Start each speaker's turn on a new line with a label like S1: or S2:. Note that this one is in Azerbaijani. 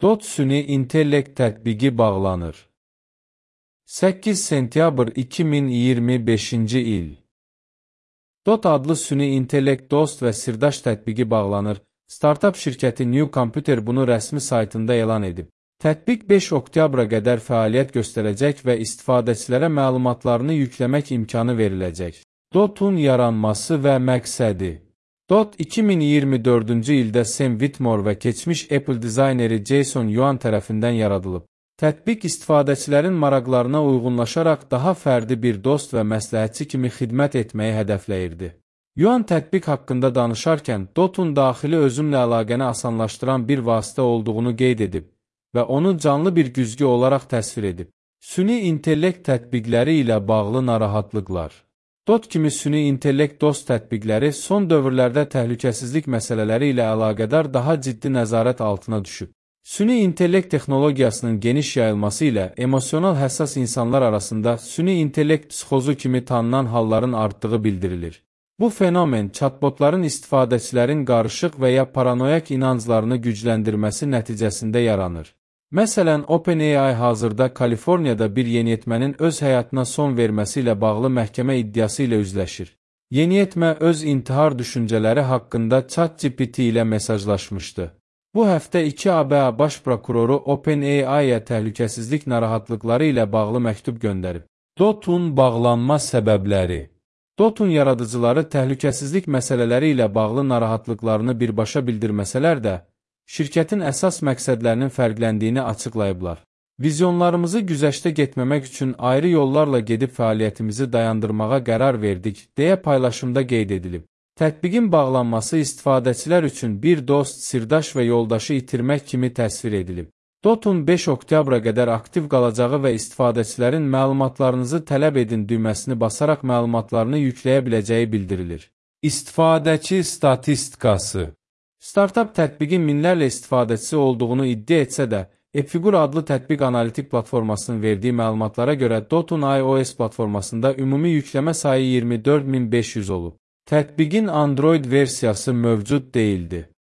S1: Dot süni intellekt tətbiqi bağlanır. 8 sentyabr 2025-ci il. Dot adlı süni intellekt dost və sirdaş tətbiqi bağlanır. Startup şirkəti New Computer bunu rəsmi saytında elan edib. Tətbiq 5 oktyabra qədər fəaliyyət göstərəcək və istifadəçilərə məlumatlarını yükləmək imkanı veriləcək. Dot'un yaranması və məqsədi. Dot 2024-cü ildə Sam Whitmore və keçmiş Apple dizayneri Jason Yuan tərəfindən yaradılıb. Tətbiq istifadəçilərin maraqlarına uyğunlaşaraq daha fərdi bir dost və məsləhətçi kimi xidmət etməyi hədəfləyirdi. Yuan tətbiq haqqında danışarkən Dot'un daxili özünlə əlaqəni asanlaşdıran bir vasitə olduğunu qeyd edib və onu canlı bir güzgü olaraq təsvir edib. Süni intellekt tətbiqləri ilə bağlı narahatlıqlar. Dot kimi süni intellekt dost tətbiqləri son dövrlərdə təhlükəsizlik məsələləri ilə əlaqədar daha ciddi nəzarət altına düşüb. Süni intellekt texnologiyasının geniş yayılması ilə emosional həssas insanlar arasında süni intellekt psixozu kimi tanınan halların artdığı bildirilir. Bu fenomen chatbotların istifadəçilərin qarışıq və ya paranoyak inanclarını gücləndirməsi nəticəsində yaranır. Məsələn, OpenAI hazırda Kaliforniyada bir yeniyetmənin öz həyatına son verməsi ilə bağlı məhkəmə iddiası ilə üzləşir. Yeniyetmə öz intihar düşüncələri haqqında ChatGPT ilə mesajlaşmışdı. Bu həftə 2 ABA baş prokuroru OpenAI-yə təhlükəsizlik narahatlıqları ilə bağlı məktub göndərib. Dot'un bağlanma səbəbləri. Dot'un yaradıcıları təhlükəsizlik məsələləri ilə bağlı narahatlıqlarını birbaşa bildirməsələr də, şirkətin əsas məqsədlərinin fərqləndiyini açıqlayıblar. Vizyonlarımızı güzəştə getməmək üçün ayrı yollarla gedib fəaliyyətimizi dayandırmağa qərar verdik, deyə paylaşımda qeyd edilib. Tətbiqin bağlanması istifadəçilər üçün bir dost, sirdaş və yoldaşı itirmək kimi təsvir edilib. Dot'un 5 oktyabra qədər aktiv qalacağı və istifadəçilərin məlumatlarınızı tələb edin düyməsini basaraq məlumatlarını yükləyə biləcəyi bildirilir. İstifadəçi statistikası. Startup tətbiqin minlərlə istifadəçisi olduğunu iddia etsə də, Epfigur adlı tətbiq analitik platformasının verdiyi məlumatlara görə Dot'un iOS platformasında ümumi yükləmə sayı 24500 olub. Tətbiqin Android versiyası mövcud deyildi.